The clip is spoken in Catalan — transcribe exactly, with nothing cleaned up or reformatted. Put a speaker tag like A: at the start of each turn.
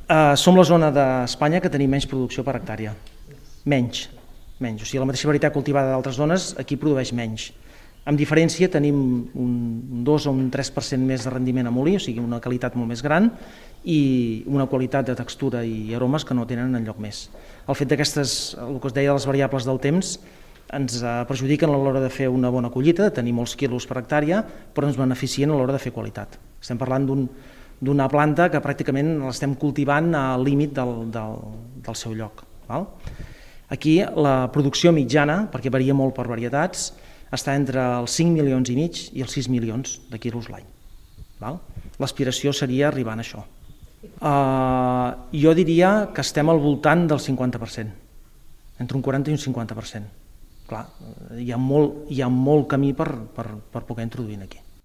A: Uh, som la zona d'Espanya que tenim menys producció per hectàrea. Menys. menys. O sigui, la mateixa varietat cultivada d'altres zones aquí produeix menys. Amb diferència tenim un dos o un tres per cent més de rendiment a molí, o sigui, una qualitat molt més gran i una qualitat de textura i aromes que no tenen enlloc més. El fet d'aquestes, el que us deia de les variables del temps, ens perjudiquen a l'hora de fer una bona collita, de tenir molts quilos per hectàrea, però ens beneficien a l'hora de fer qualitat. Estem parlant d'un, d'una planta que pràcticament l'estem cultivant al límit del, del, del seu lloc. Val? Aquí la producció mitjana, perquè varia molt per varietats, està entre els cinc milions i mig i els sis milions de quilos l'any. L'aspiració seria arribar a això. Uh, jo diria que estem al voltant del cinquanta per cent, entre un quaranta i un cinquanta per cent. Clar, hi ha molt, hi ha molt camí per, per, per poder introduir aquí.